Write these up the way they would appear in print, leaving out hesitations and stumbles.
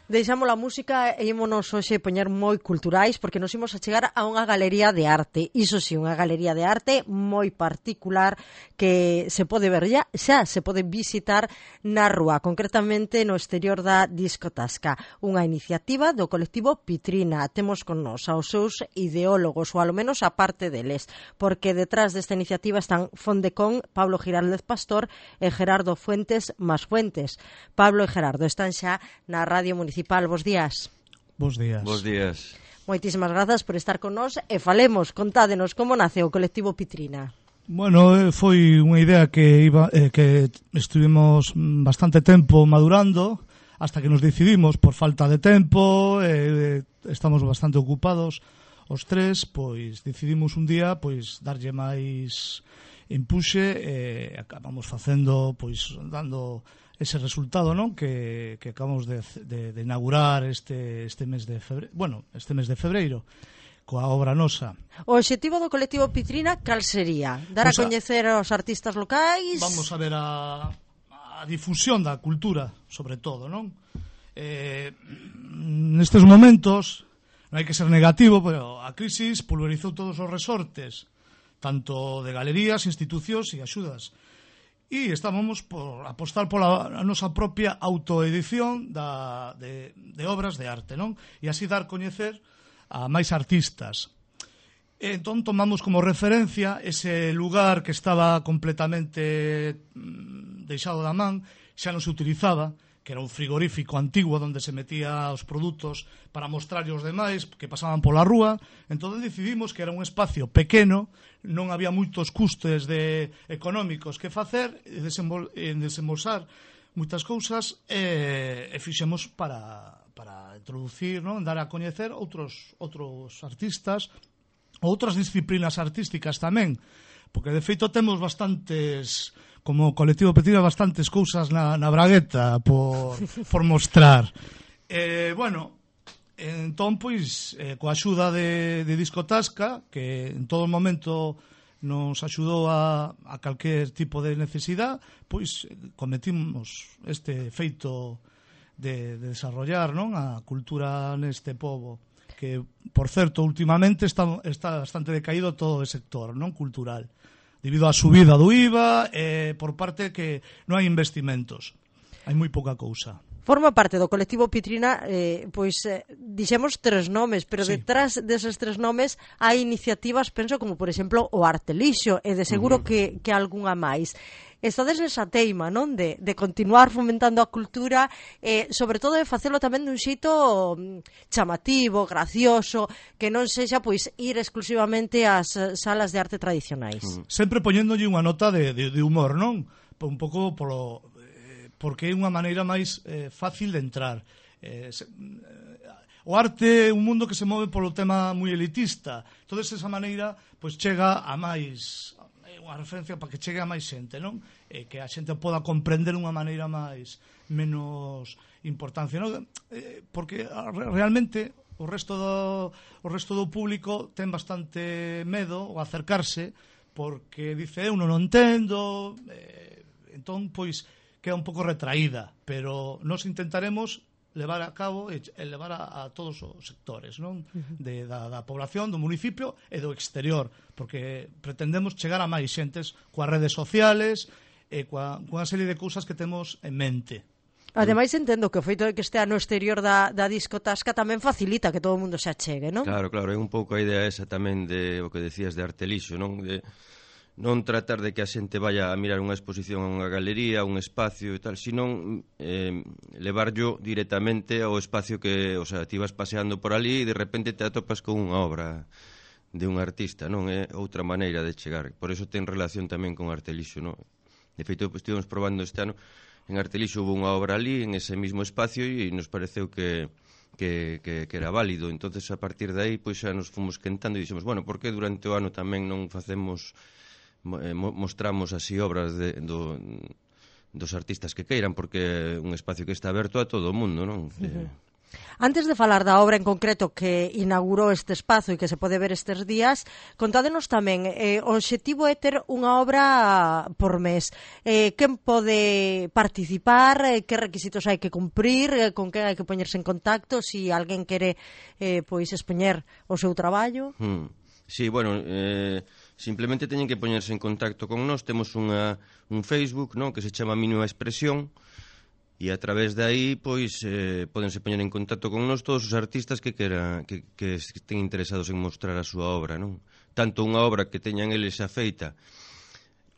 Deixamos a música e ímonos hoxe poñer moi culturais porque nos imos a chegar a unha galería de arte. Iso si, unha galería de arte moi particular que se pode ver xa se pode visitar na rúa, concretamente no exterior da Discotasca. Unha iniciativa do colectivo Pitrina. Temos con nos aos seus ideólogos, ou alo menos a parte deles, porque detrás desta iniciativa están Fondecón, Pablo Giraldez Pastor e Gerardo Fuentes Masfuentes. Pablo e Gerardo están xa na Radio Municipal. Bos días. Bos días. Bos días. Moitísimas grazas por estar con nós e falemos, contádenos como nace o colectivo Pitrina. Bueno, foi unha idea que estuvimos bastante tempo madurando hasta que nos decidimos por falta de tempo, estamos bastante ocupados os tres, pois decidimos un día pois darlle máis empuxe e acabamos facendo, pois dando ese resultado, non? Que acabamos de inaugurar este mes de febreiro coa obra nosa. O obxectivo do colectivo Pitrina cal sería? Dar a coñecer aos artistas locais? Vamos a ver a difusión da cultura, sobre todo, non? Nestes momentos non hai que ser negativo, pero a crisis pulverizou todos os resortes, tanto de galerías, institucións e axudas. E estábamos por apostar pola nosa propia autoedición de obras de arte, non? E así dar coñecer a máis artistas. Entón tomamos como referencia ese lugar que estaba completamente deixado da man, xa non se utilizaba, que era un frigorífico antigo onde se metía os produtos para mostrarlle aos demais que pasaban pola rúa. Entón decidimos que era un espacio pequeno, non había moitos custes económicos que facer, desembolsar moitas cousas, e fixemos para introducir, non? Dar a coñecer outros artistas, outras disciplinas artísticas tamén, porque de feito temos bastantes, como colectivo Pitrina, bastantes cousas na bragueta por mostrar. Bueno, entón, pois, coa axuda de Discotasca, que en todo momento nos axudou a calquer tipo de necesidade, pois cometimos este feito de desarrollar, non, a cultura neste pobo, que, por certo, últimamente está bastante decaído todo o sector, non, cultural, debido á subida do IVA e por parte que non hai investimentos, hai moi pouca cousa. Forma parte do colectivo Pitrina, dixemos tres nomes, pero sí, detrás deses tres nomes hai iniciativas, penso, como por exemplo o Artelixo, e de seguro que algunha máis. Estades nesa teima, non? De continuar fomentando a cultura, sobre todo de facelo tamén dun xeito chamativo, gracioso, que non sexa pois ir exclusivamente ás salas de arte tradicionais. Sempre poñéndolle unha nota de humor, non? Un pouco porque é unha maneira máis fácil de entrar. O arte é un mundo que se move polo tema moi elitista. Entón, esa maneira pois chega a máis, unha referencia para que chegue a máis xente, non? Que a xente poda comprender unha maneira menos importancia, non? Porque realmente o resto do público ten bastante medo ao acercarse, porque dice, eu non entendo, entón, pois, queda un pouco retraída, pero nós intentaremos levar a cabo e levar a todos os sectores, non? Da población, do municipio e do exterior, porque pretendemos chegar a máis xentes coas redes sociales e coa serie de cousas que temos en mente. Ademais, entendo que o feito de que estea no exterior da Discotasca tamén facilita que todo o mundo se achegue, non? Claro, é un pouco a idea esa tamén de o que decías de Artelixo, non? De non tratar de que a xente vaya a mirar unha exposición a unha galería, un espacio e tal, senón levarlo directamente ao espacio que, o sea, ti vas paseando por ali e de repente te atopas con unha obra de un artista, non? É outra maneira de chegar. Por eso ten relación tamén con Artelixo, non? De feito, estivemos probando este ano, en Artelixo hubo unha obra ali, en ese mismo espacio, e nos pareceu que era válido. Entonces, a partir de aí, pois xa nos fomos quentando e dixemos, bueno, por que durante o ano tamén non facemos mostramos así obras dos artistas que queiran, porque é un espacio que está aberto a todo o mundo, non? Antes de falar da obra en concreto que inaugurou este espazo e que se pode ver estes días, contádenos tamén, o obxectivo é ter unha obra por mes. Quen pode participar, que requisitos hai que cumprir, con quen hai que poñerse en contacto, se alguén quere pois expoñer o seu traballo? Sí, bueno, simplemente teñen que poñerse en contacto con nós. Temos un Facebook, non, que se chama Mínima Expresión, e a través de aí, pois, podense poñer en contacto con nós todos os artistas que estén interesados en mostrar a súa obra, non? Tanto unha obra que teñan eles xa feita,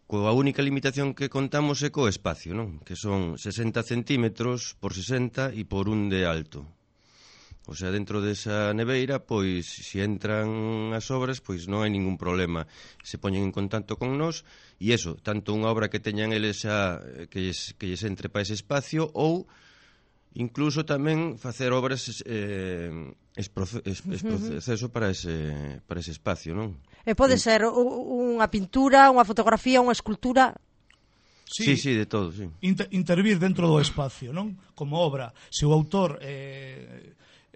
coa única limitación que contamos é co espacio, non? Que son 60 centímetros por 60 e por 1 de alto. O sea, dentro desa neveira, pois, se entran as obras, pois non hai ningún problema. Se poñen en contacto con nós, e eso, tanto unha obra que teñan eles xa, que lles entre para ese espacio, ou incluso tamén facer obras proceso para ese espacio, non? E pode ser unha pintura, unha fotografía, unha escultura... Sí, de todo, sí. Intervir dentro do espacio, non? Como obra. Se o autor...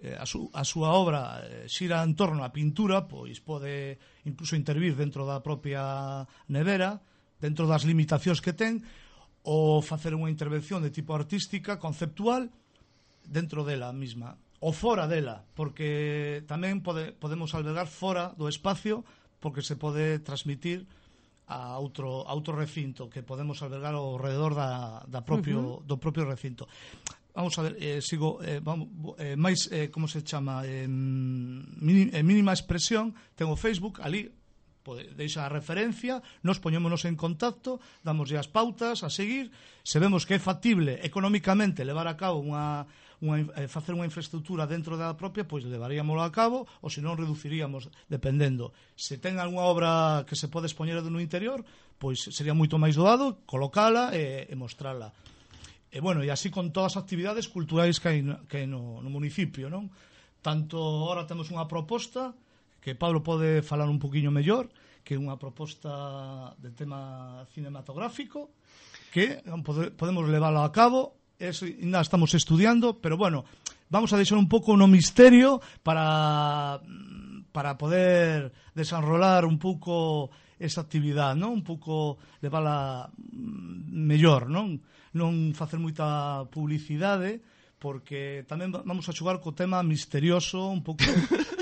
a súa obra xira en torno á pintura, pois pode incluso intervir dentro da propia nevera, dentro das limitacións que ten, ou facer unha intervención de tipo artística, conceptual, dentro dela mesma, ou fora dela, porque tamén podemos albergar fora do espacio, porque se pode transmitir a outro recinto que podemos albergar ao redor do propio recinto. Vamos a ver, máis, como se chama, Mínima Expresión, ten o Facebook, ali deixa a referencia, nos poñémonos en contacto, damoslle as pautas a seguir, se vemos que é factible económicamente levar a cabo facer unha infraestructura dentro da propia, pois levaríamoslo a cabo, ou se non reduciríamos, dependendo. Se ten algunha obra que se pode expoñer no interior, pois sería moito máis doado colocala e mostrala. E, bueno, e así con todas as actividades culturais que hai no municipio, non? Tanto, ahora temos unha proposta que Pablo pode falar un poquinho mellor, que é unha proposta de tema cinematográfico, que podemos leválo a cabo, ainda estamos estudiando, pero, bueno, vamos a deixar un pouco no misterio para poder desenrolar un pouco esa actividade, non? Un pouco levala mellor, non? Non facer moita publicidade, porque tamén vamos a xogar co tema misterioso, un pouco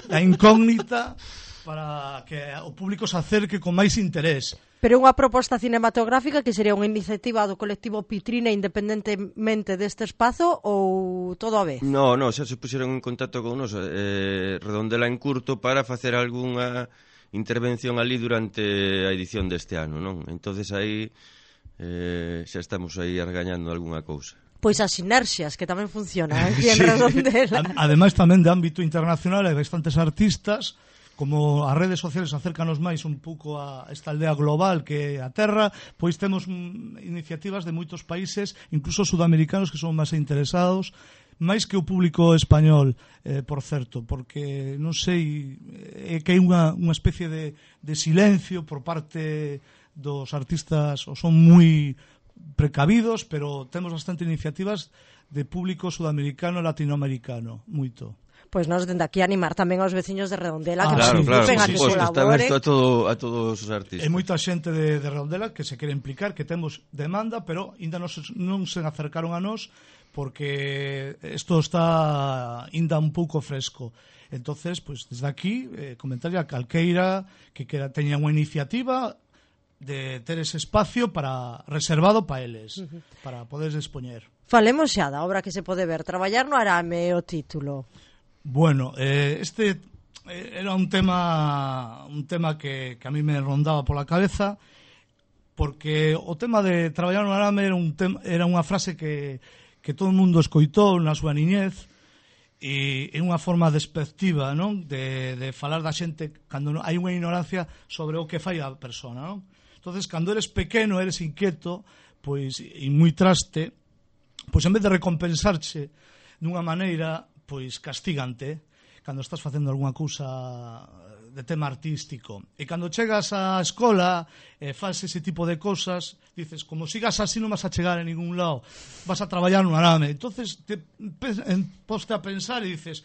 da incógnita, para que o público se acerque con máis interés. Pero unha proposta cinematográfica que sería unha iniciativa do colectivo Pitrina independentemente deste espazo ou todo a vez? No, xa se puxeron en contacto con nos Redondela en Curto para facer algunha intervención ali durante a edición deste ano, non? Entonces aí xa estamos aí argañando algunha cousa. Pois as sinerxias, que tamén funcionan aquí en Redondela. Ademais tamén de ámbito internacional hai bastantes artistas, como as redes sociales acércanos máis un pouco a esta aldea global que é a Terra, pois temos iniciativas de moitos países, incluso sudamericanos, que son máis interesados, máis que o público español, por certo, porque non sei, que hai unha especie de silencio por parte dos artistas, ou son moi precavidos, pero temos bastante iniciativas de público sudamericano e latinoamericano, moito. Pois nós dende aquí animar tamén aos veciños de Redondela que claro, participen, a que está colaboren. aberto a todos os artistas. E moita xente de Redondela que se quere implicar, que temos demanda, pero ainda non se acercaron a nós porque isto está ainda un pouco fresco. Entonces, pois desde aquí comentarlle a calqueira que teña unha iniciativa de ter ese espacio reservado para eles, para poder expoñer. Falemos xa da obra que se pode ver, Traballar no arame, o título. Bueno, este era un tema que a mí me rondaba pola cabeza, porque o tema de traballar no arame era unha frase que todo o mundo escoitou na súa niñez, e é unha forma despectiva, non? De falar da xente cando hai unha ignorancia sobre o que fai a persona, non? Entonces, cando eres pequeno, eres inquieto, pois, e moi traste, pois en vez de recompensarche dunha maneira, pois castígante, cando estás facendo algunha cousa tema artístico. E cando chegas á escola e faz ese tipo de cosas, dices, como sigas así non vas a chegar a ningún lado, vas a traballar no arame. Entonces te poste a pensar e dices,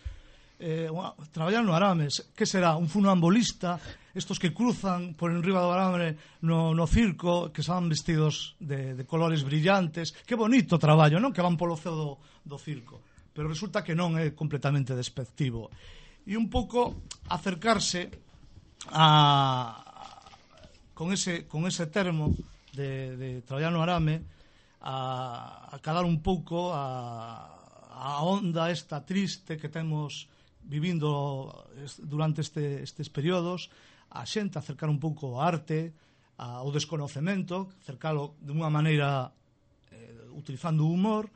traballar no arame, que será? Un funambulista, estos que cruzan por enriba do arame no circo, que van vestidos de colores brillantes, que bonito traballo, non? Que van polo ceo do circo. Pero resulta que non é completamente despectivo. E un pouco acercarse con ese termo de traballar no arame a calar un pouco a onda esta triste que temos vivindo durante estes períodos, a xente acercar un pouco ao arte, ao desconocemento, acercalo de unha maneira utilizando o humor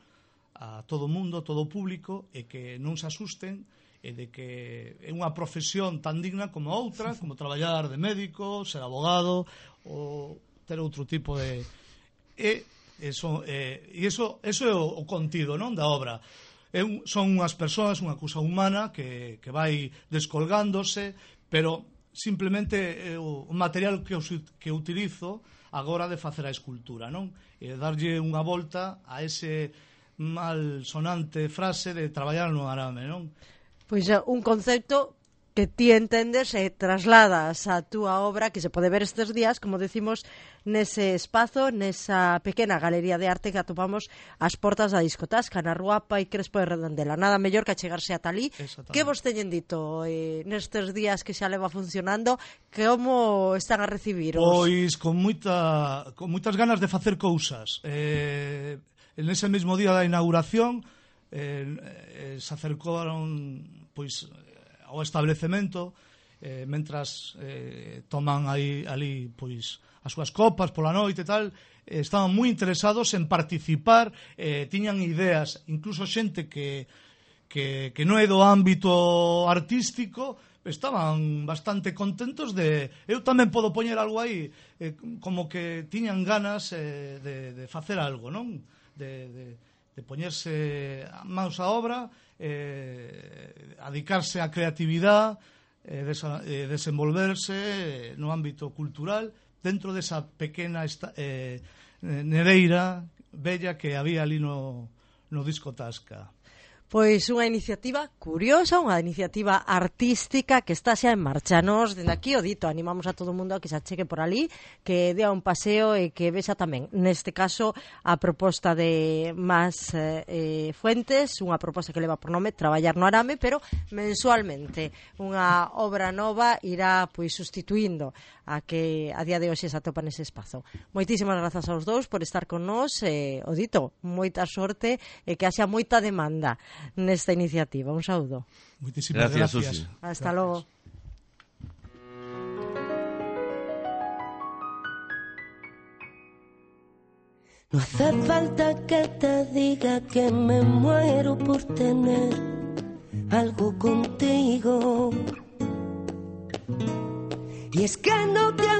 a todo o mundo, a todo o público, e que non se asusten, e de que é unha profesión tan digna como outra, como traballar de médico, ser abogado ou ter outro tipo de... Eso é o contido, non, da obra. Son unhas persoas, unha cousa humana que vai descolgándose, pero simplemente o material que utilizo agora de facer a escultura, non? E darlle unha volta a ese mal sonante frase de traballar no arame, non? Pois un concepto que ti entendes e trasladas a túa obra, que se pode ver estes días, como decimos, nese espazo, nesa pequena galería de arte que atopamos ás portas da Discotasca, na rúa Pai Crespo de Redondela. Nada mellor que achegarse ata ali. Que vos teñen dito nestes días que xa leva funcionando? Como están a recibiros? Pois con moitas ganas de facer cousas. En ese mesmo día da inauguración se acercaron pois ao establecemento mentras toman ali pois as súas copas pola noite e tal, estaban moi interesados en participar, tiñan ideas, incluso xente que non é do ámbito artístico, estaban bastante contentos de eu tamén podo poñer algo aí, como que tiñan ganas de facer algo, non? De poñerse mãos á obra, dedicarse á creatividade, desenvolverse no ámbito cultural dentro desa pequena nereira bella que había ali no Discotasca. Pois unha iniciativa curiosa, unha iniciativa artística que está xa en marcha. Nos, dende aquí, o dito, animamos a todo o mundo a que se achegue por ali, que dea un paseo e que vexa tamén, neste caso, a proposta de Mas Fuentes, unha proposta que leva por nome Traballar no arame, pero mensualmente. Unha obra nova irá pois sustituindo a que a día de hoxe se atopa nese espazo. Moitísimas grazas aos dous por estar con nós, o dito, moita sorte e que haxa moita demanda nesta iniciativa. Un saúdo. Moitísimas gracias. Hasta logo. No hace falta que te diga que me muero por tener algo contigo. Y es que no te has